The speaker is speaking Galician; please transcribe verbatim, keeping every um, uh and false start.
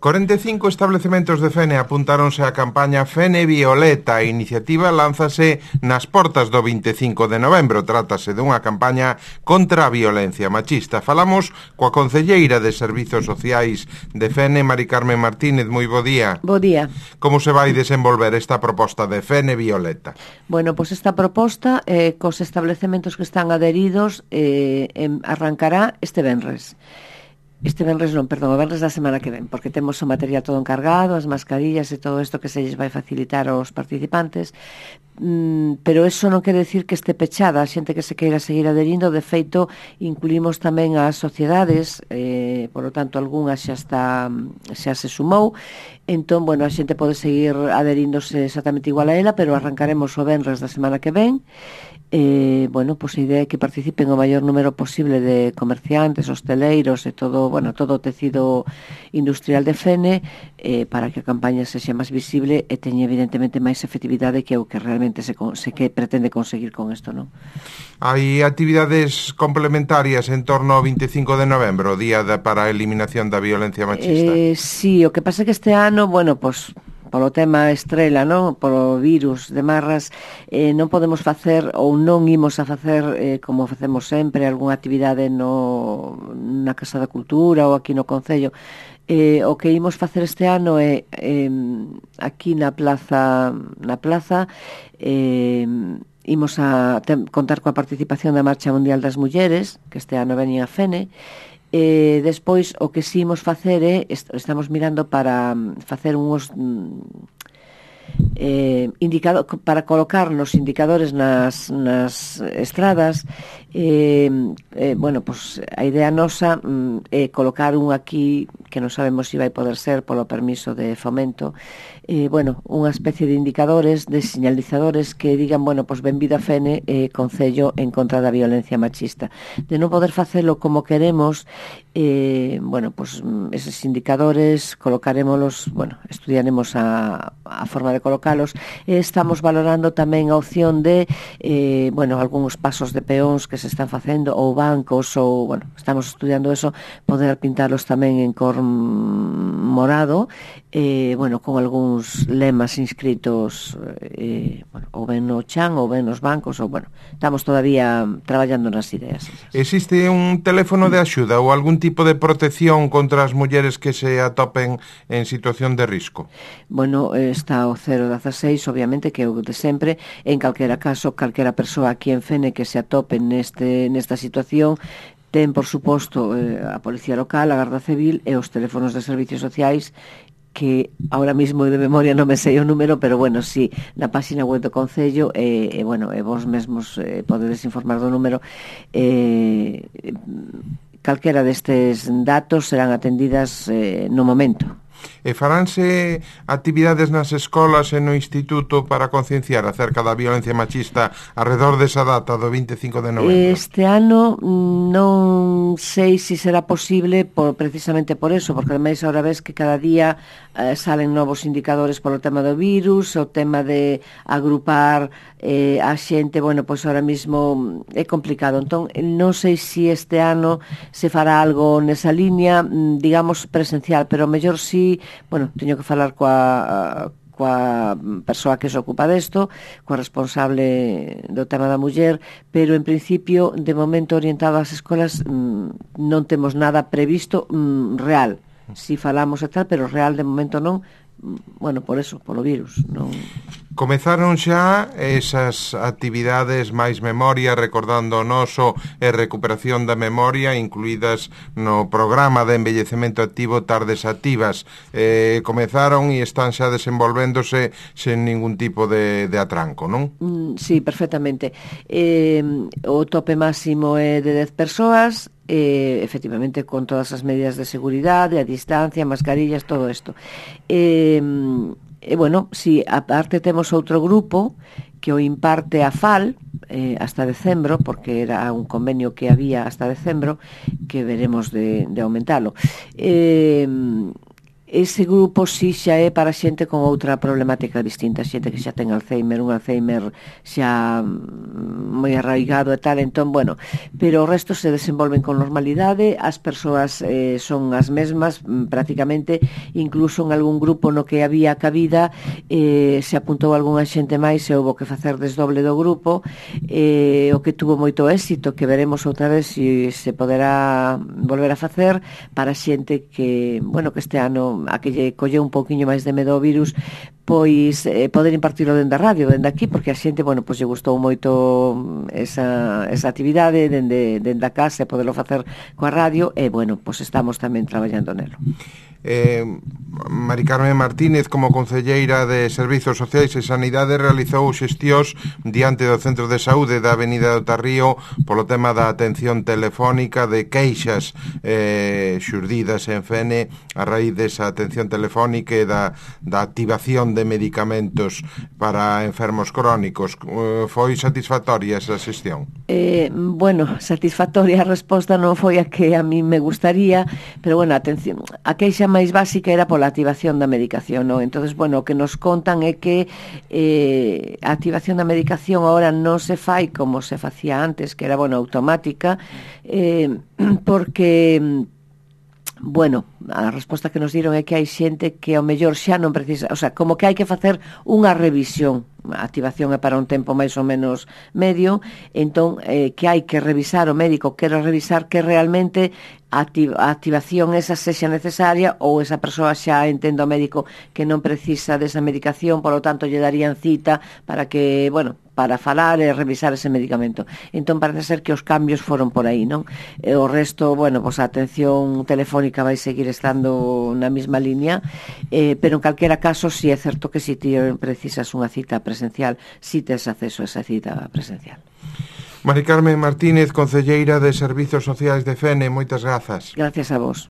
corenta e cinco establecementos de Fene apuntáronse á campaña Fene Violeta. A iniciativa lánzase nas portas do vinte e cinco de novembro. Trátase dunha campaña contra a violencia machista. Falamos coa concelleira de Servizos Sociais de Fene, Mari Carmen Martínez. Moi bo día. Bo día. Como se vai desenvolver esta proposta de Fene Violeta? Bueno, pois pues esta proposta eh, cos establecementos que están adheridos eh, em, arrancará este venres. Este venres non, perdón, o venres da semana que ven, porque temos o material todo encargado, as mascarillas e todo isto que se lles vai facilitar aos participantes, mm, pero eso non quere decir que este pechada, a xente que se queira seguir adherindo. De feito, incluímos tamén as sociedades, eh, por lo tanto, algunha xa está, xa se sumou, entón, bueno, a xente pode seguir adheríndose exactamente igual a ela, pero arrancaremos o venres da semana que ven. Eh, bueno, pois a idea é que participen o maior número posible de comerciantes, hosteleiros e todo, bueno, todo o tecido industrial de Fene, eh, para que a campaña sexa máis visible e teña evidentemente máis efectividade, que é o que realmente se, se que pretende conseguir con isto, non? Hai actividades complementarias en torno ao vinte e cinco de novembro, o día da, para a eliminación da violencia machista. Eh, sí, o que pasa é que este ano, bueno, pois polo tema estrela, non? Polo virus de marras, eh, non podemos facer ou non imos a facer eh, como facemos sempre, algunha actividade no, na Casa da Cultura ou aquí no Concello. Eh, o que imos facer este ano é eh, aquí na plaza na plaza eh, imos a tem, contar coa participación da Marcha Mundial das Mulleres, que este ano veñen a Fene. Eh, despois, o que si imos facer é, est- estamos mirando para facer uns eh, indicado, para colocar nos indicadores nas, nas estradas. eh, eh, bueno, pues, a idea nosa mm, é colocar un aquí que non sabemos se vai poder ser polo permiso de Fomento, eh, bueno, unha especie de indicadores, de señalizadores que digan, bueno, pues benvido a Fene, eh, Concello en contra da violencia machista. De non poder facelo como queremos, eh, bueno, pues eses indicadores colocarémolos, bueno, estudiaremos a, a forma de colocalos, e estamos valorando tamén a opción de, eh, bueno, algúns pasos de peóns que se están facendo, ou bancos, ou, bueno, estamos estudiando eso, poder pintalos tamén en cor morado, eh, bueno, con algúns lemas inscritos, eh, bueno, ou ben no chan, ou ben nos bancos, ou, bueno, estamos todavía traballando nas ideas. Existe un teléfono de axuda ou algún tipo de protección contra as mulleres que se atopen en situación de risco? Bueno, está o cero dieciséis, obviamente, que é o de sempre. En calquera caso, calquera persoa aquí en Fene que se atope neste, nesta situación, ten, por suposto, eh, a Policía Local, a Garda Civil e os teléfonos de servicios sociais, que ahora mismo de memoria non me sei o número, pero bueno, sí, na página web do Concello, e, eh, eh, bueno, e vos mesmos eh, podedes informar do número. Eh, calquera destes datos serán atendidas eh, no momento. E faránse actividades nas escolas e no instituto para concienciar acerca da violencia machista alrededor desa data do vinte e cinco de novembro? Este ano non sei se será posible, por, precisamente por eso, porque ademais ahora ves que cada día eh, salen novos indicadores polo tema do virus, o tema de agrupar eh, a xente, bueno, pois ahora mismo é complicado. Entón, non sei se este ano se fará algo nesa línea, digamos, presencial, pero mellor si, bueno, teño que falar coa coa persoa que se ocupa desto, coa responsable do tema da muller, pero en principio, de momento orientado ás escolas, non temos nada previsto real. Si falamos e tal, pero real de momento non, bueno, por eso, polo virus, non. Comezaron xa esas actividades máis memoria, recordando o noso e recuperación da memoria, incluídas no programa de envellecemento activo Tardes Activas. Eh, comezaron e están xa desenvolvéndose sen ningún tipo de, de atranco, non? Mm, sí, perfectamente. Eh, o tope máximo é de dez persoas, eh, efectivamente con todas as medidas de seguridade, a distancia, mascarillas, todo isto. Eh, E, bueno, si aparte temos outro grupo que o imparte a FAL eh, hasta decembro, porque era un convenio que había hasta decembro, que veremos de, de aumentalo. Eh, ese grupo si xa é para xente con outra problemática distinta, xente que xa ten Alzheimer, un Alzheimer xa moi arraigado e tal, entón, bueno, pero o resto se desenvolven con normalidade, as persoas eh, son as mesmas prácticamente, incluso en algún grupo no que había cabida eh, se apuntou algunha xente máis e houve que facer desdoble do grupo, eh, o que tuvo moito éxito, que veremos outra vez se se poderá volver a facer para xente que, bueno, que este ano a que lle colleu un pouquiño máis de medo ao virus, pois eh, poder impartilo dende a radio, dende aquí, porque a xente, bueno, pois lle gustou moito esa, esa actividade dende, dende a casa e poderlo facer coa radio, e, bueno, pois estamos tamén traballando nelo. Eh, Mari Carmen Martínez, como concelleira de Servizos Sociais e Sanidade, realizou xestións diante do Centro de Saúde da Avenida do Tarrío polo tema da atención telefónica de queixas eh, xurdidas en Fene a raíz desa atención telefónica e da, da activación de medicamentos para enfermos crónicos. Eh, foi satisfactoria esa xestión? Eh, bueno, satisfactoria a resposta non foi a que a mí me gustaría, pero bueno, atención, a queixa máis básica era pola activación da medicación, non? Entonces, bueno, o que nos contan é que eh, a activación da medicación agora non se fai como se facía antes, que era, bueno, automática, eh, porque, bueno, a resposta que nos diron é que hai xente que ao mellor xa non precisa, o sea, como que hai que facer unha revisión. A activación é para un tempo máis ou menos medio, entón eh, que hai que revisar, o médico quere revisar que realmente a activación esa sexa necesaria ou esa persoa xa entende o médico que non precisa desa medicación, por lo tanto lle darían cita para que, bueno, para falar e revisar ese medicamento. Entón parece ser que os cambios foron por aí, non? E o resto, bueno, pois a atención telefónica vai seguir estando na mesma línea, eh, pero en calquera caso si é certo que si ti precisas unha cita presencial, si tes acceso a esa cita presencial. Mari Carmen Martínez, concelleira de Servizos Sociais de Fene, moitas grazas. Gracias a vos.